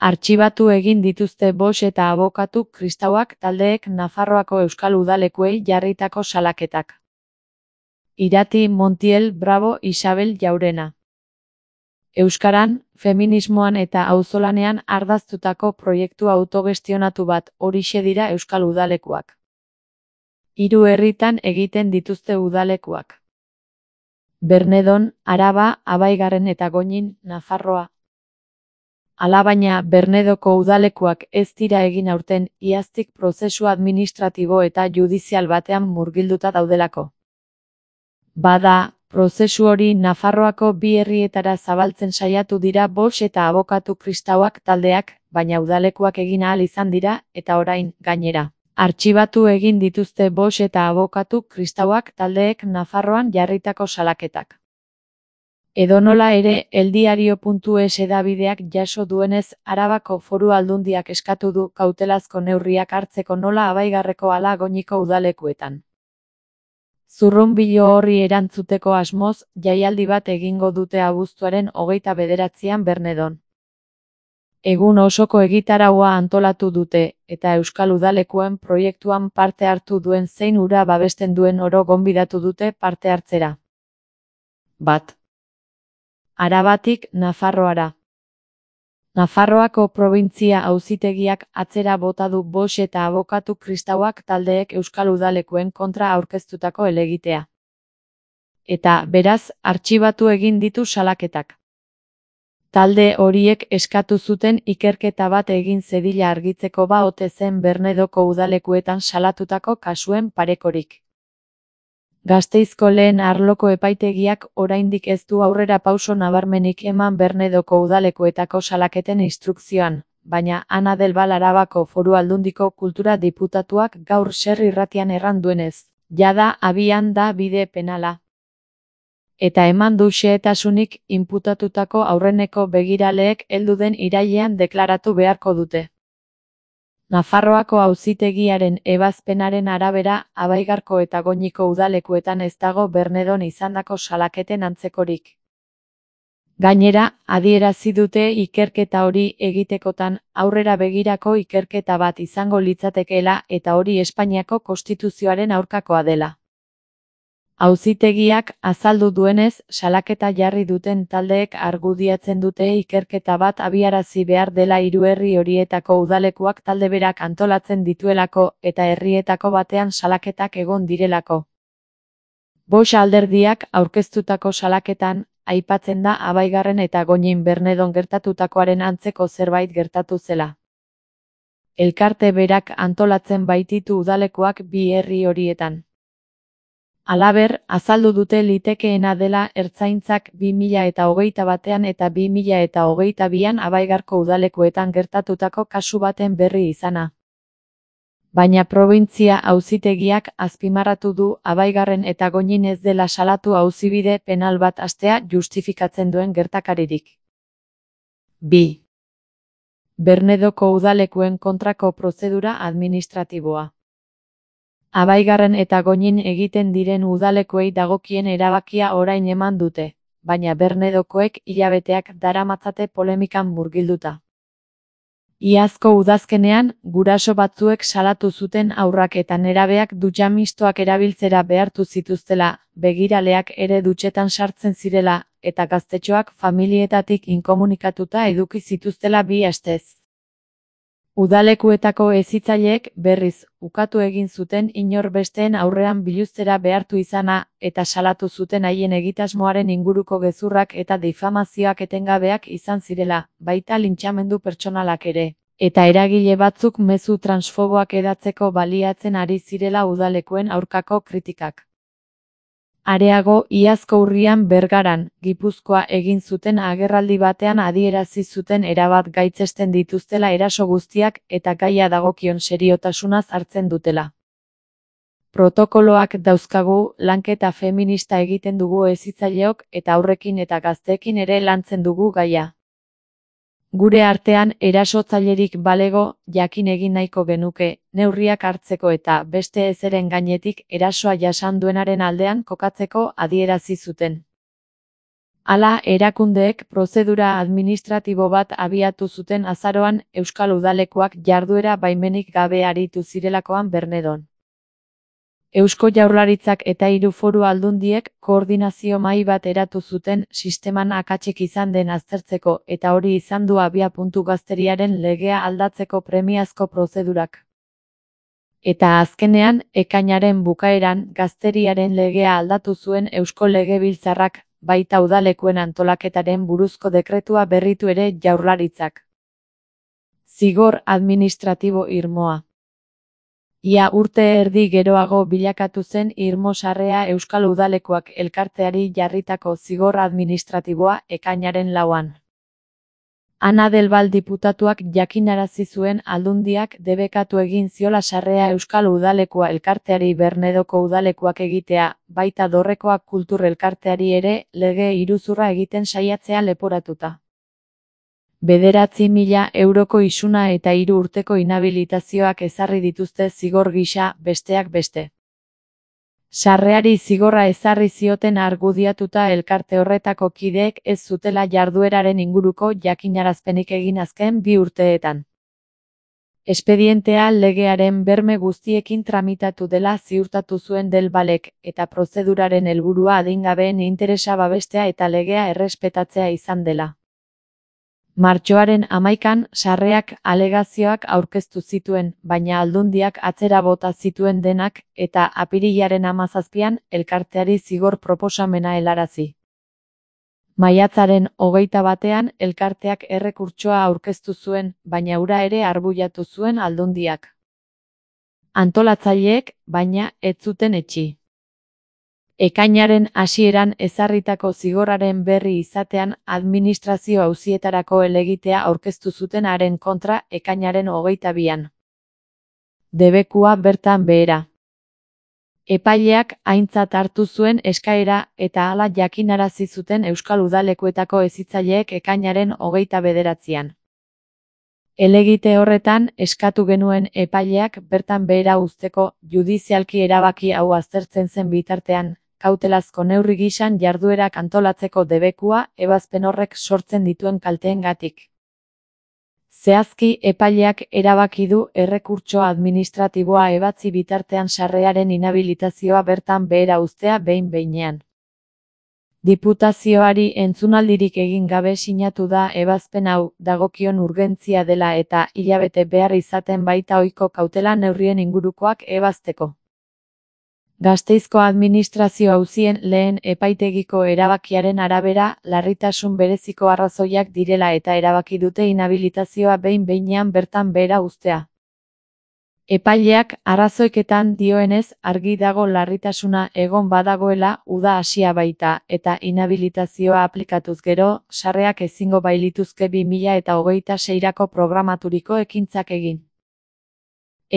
Artxibatu egin dituzte Bosch eta abokatu kristauak taldeek Nafarroako euskal udalekuei jarritako salaketak. Irati Montiel Bravo Isabel Jaurena. Euskaran, feminismoan eta auzolanean ardaztutako proiektu autogestionatu bat, horixe dira euskal udalekuak. 3 herritan egiten dituzte udalekuak. Bernedon, Araba, Abaigarren eta Goñin, Nafarroa. Alabaina, Bernedoko udalekuak ez dira egin aurten, iaztik prozesu administratibo eta judizial batean murgilduta daudelako. Bada, prozesu hori Nafarroako 2 herrietara zabaltzen saiatu dira Bosch eta abokatu kristauak taldeak, baina udalekuak egin ahal izan dira, eta orain, gainera. Artxibatu egin dituzte Bosch eta abokatu kristauak taldeek Nafarroan jarritako salaketak. Edonola ere, eldiario.es hedabideak jaso duenez, Arabako Foru Aldundiak eskatu du kautelazko neurriak hartzeko nola Abaigarreko ala Goñiko udalekuetan. Zurrunbilo horri erantzuteko asmoz, jaialdi bat egingo dute abuztuaren 29an Bernedon. Egun osoko egitaraua antolatu dute, eta euskal udalekuen proiektuan parte hartu duen zein hura babesten duen oro gonbidatu dute parte hartzera. Bat. Arabatik Nafarroara. Nafarroako probintzia auzitegiak atzera bota du Bosch eta abokatu kristauak taldeek euskal udalekuen kontra aurkeztutako helegitea. Eta, beraz, artxibatu egin ditu salaketak. Talde horiek eskatu zuten ikerketa bat egin zedila argitzeko ote zen Bernedoko udalekuetan salatutako kasuen parekorik. Gasteizko lehen arloko epaitegiak oraindik ez du aurrera pauso nabarmenik eman Bernedoko udalekuetako salaketen instrukzioan, baina Ana del Val Arabako Foru Aldundiko kultura diputatuak gaur Ser irratian erran duenez, jada abian da bide penala. Eta eman du xehetasunik inputatutako aurreneko begiraleek heldu den irailean deklaratu beharko dute. Nafarroako auzitegiaren ebazpenaren arabera, Abaigarko eta Goñiko udalekuetan ez dago Bernedon izandako salaketen antzekorik. Gainera, adierazi dute ikerketa hori egitekotan aurrera begirako ikerketa bat izango litzatekeela eta hori Espainiako konstituzioaren aurkakoa dela. Auzitegiak azaldu duenez, salaketa jarri duten taldeek argudiatzen dute ikerketa bat abiarazi behar dela 3 herri horietako udalekuak talde berak antolatzen dituelako eta herrietako batean salaketak egon direlako. Bosch alderdiak aurkeztutako salaketan, aipatzen da Abaigarren eta Goñin Bernedon gertatutakoaren antzeko zerbait gertatu zela. Elkarte berak antolatzen baititu udalekuak 2 herri horietan. Halaber, azaldu dute litekeena dela Ertzaintzak 2021an eta 2022an Abaigarko udalekuetan gertatutako kasu baten berri izana. Baina probintzia auzitegiak azpimarratu du Abaigarren eta Goñin ez dela salatu auzibide penal bat hastea justifikatzen duen gertakaririk. 2. Bernedoko udalekuen kontrako prozedura administratiboa. Abaigarren eta Goñin egiten diren udalekuei dagokien erabakia orain eman dute, baina Bernedokoek hilabeteak daramatzate polemikan murgilduta. Iazko udazkenean, guraso batzuek salatu zuten haurrak eta nerabeak dutxa mistoak erabiltzera behartu zituztela, begiraleak ere dutxetan sartzen zirela, eta gaztetxoak familietatik inkomunikatuta eduki zituztela 2 astez. Udalekuetako hezitzaileek, berriz, ukatu egin zuten inor besteen aurrean biluztera behartu izana, eta salatu zuten haien egitasmoaren inguruko gezurrak eta difamazioak etengabeak izan zirela, baita lintxamendu pertsonalak ere, eta eragile batzuk mezu transfoboak hedatzeko baliatzen ari zirela udalekuen aurkako kritikak. Areago, iazko urrian Bergaran, Gipuzkoa egin zuten agerraldi batean adierazi zuten erabat gaitzesten dituztela eraso guztiak eta gaia dagokion seriotasunaz hartzen dutela. Protokoloak dauzkagu, lanketa feminista egiten dugu hezitzaileok eta aurrekin eta gazteekin ere lantzen dugu gaia. Gure artean erasotzailerik balego, jakin egin nahiko genuke, neurriak hartzeko eta beste ezeren gainetik erasoa jasan duenaren aldean kokatzeko adierazi zuten. Hala, erakundeek prozedura administratibo bat abiatu zuten azaroan Euskal Udalekuak jarduera baimenik gabe aritu zirelakoan Bernedon. Eusko Jaurlaritzak eta 3 foru aldundiek koordinazio mahai bat eratu zuten sisteman akatsik izan den aztertzeko eta hori izan du abiapuntu gazteriaren legea aldatzeko premiazko prozedurak. Eta azkenean, ekainaren bukaeran gazteriaren legea aldatu zuen Eusko Legebiltzarrak, baita udalekuen antolaketaren buruzko dekretua berritu ere Jaurlaritzak. Zigor administratibo irmoa. Ia urte erdi geroago bilakatu zen irmo sarrea Euskal Udalekuak elkarteari jarritako zigor administratiboa ekainaren 4an. Ana del Val diputatuak jakinarazi zuen aldundiak debekatu egin ziola sarrea Euskal Udalekua elkarteari Bernedoko udalekuak egitea, baita Dorrekoak kultur elkarteari ere lege iruzurra egiten saiatzea leporatuta. 9.000 euroko isuna eta 3 urteko inhabilitazioak ezarri dituzte zigor gisa, besteak beste. Sarreari zigorra ezarri zioten argudiatuta elkarte horretako kideek ez zutela jardueraren inguruko jakinarazpenik egin azken 2 urteetan. Espedientea legearen berme guztiekin tramitatu dela ziurtatu zuen Del Valek, eta prozeduraren helburua adingabeen interesa babestea eta legea errespetatzea izan dela. Martxoaren 11an sarreak alegazioak aurkeztu zituen, baina aldundiak atzera bota zituen denak, eta apirilaren 17an elkarteari zigor proposamena helarazi. Maiatzaren 21an elkarteak errekurtsoa aurkeztu zuen, baina hura ere arbuiatu zuen aldundiak. Antolatzaileek, baina, ez zuten etsi. Ekainaren hasieran ezarritako zigorraren berri izatean administrazio auzietarako helegitea aurkeztu zuten haren kontra ekainaren 22an. Debekua bertan behera. Epaileak aintzat hartu zuen eskaera eta hala jakinarazi zuten Euskal Udalekuetako hezitzaileek ekainaren 29an. Helegite horretan eskatu genuen epaileak bertan behera uzteko judizialki erabaki hau aztertzen zen bitartean, kautelazko neurri gisan jarduerak antolatzeko debekua ebazpen horrek sortzen dituen kalteengatik. Zehazki epaileak erabaki du errekurtso administratiboa ebatzi bitartean sarrearen inhabilitazioa bertan behera uztea behin-behinean. Diputazioari entzunaldirik egin gabe sinatu da ebazpen hau dagokion urgentzia dela eta hilabete behar izaten baita ohiko kautela neurrien ingurukoak ebazteko. Gasteizko administrazio auzien lehen epaitegiko erabakiaren arabera larritasun bereziko arrazoiak direla eta erabaki dute inhabilitazioa behin-behinean bertan behera uztea. Epaileak arrazoiketan dioenez argi dago larritasuna egon badagoela uda hasia baita eta inhabilitazioa aplikatuz gero sarreak ezingo bailituzke 2026rako programaturiko ekintzak egin.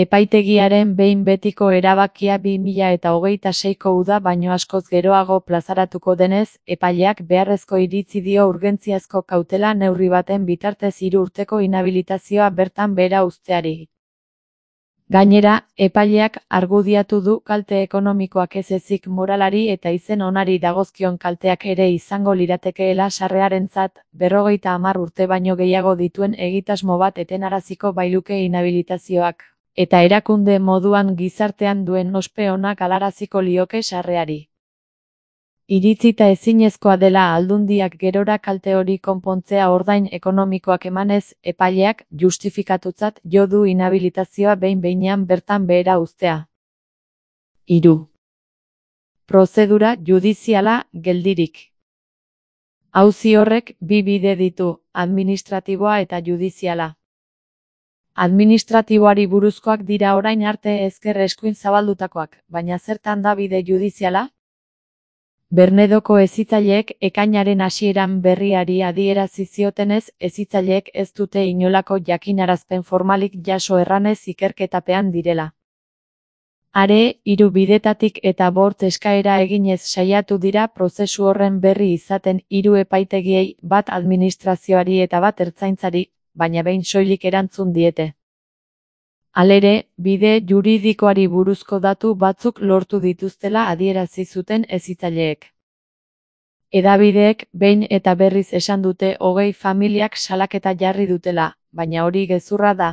Epaitegiaren behin betiko erabakia 2026ko uda baino askoz geroago plazaratuko denez, epaileak beharrezko iritzi dio urgentziazko kautela neurri baten bitartez 3 urteko inhabilitazioa bertan behera uzteari. Gainera, epaileak argudiatu du kalte ekonomikoak ez ezik moralari eta izen onari dagozkion kalteak ere izango liratekeela sarrearentzat, 50 urte baino gehiago dituen egitasmo bat etenaraziko bailuke inhabilitazioak. Eta erakunde moduan gizartean duen ospe onak galaraziko lioke sarreari. Iritzita ezinezkoa dela aldundiak gerora kalte hori konpontzea ordain ekonomikoak emanez, epaileak justifikatutzat jo du inhabilitazioa behin-behinean bertan behera uztea. 3. Prozedura judiziala geldirik. Auzi horrek 2 bide ditu, administratiboa eta judiziala. Administratiboari buruzkoak dira orain arte ezker eskuin zabaldutakoak, baina zertan da bide judiziala? Bernedoko hezitzaileek ekainaren hasieran berriari adierazi ziotenez, hezitzaileek ez dute inolako jakinarazpen formalik jaso erranez ikerketapean direla. Are, 3 bidetatik eta 5 eskaera eginez saiatu dira prozesu horren berri izaten 3 epaitegiei, bat administrazioari eta bat ertzaintzari, baina behin soilik erantzun diete. Halere, bide juridikoari buruzko datu batzuk lortu dituztela adierazi zuten hezitzaileek. Hedabideek behin eta berriz esan dute 20 familiak salaketa jarri dutela, baina hori gezurra da.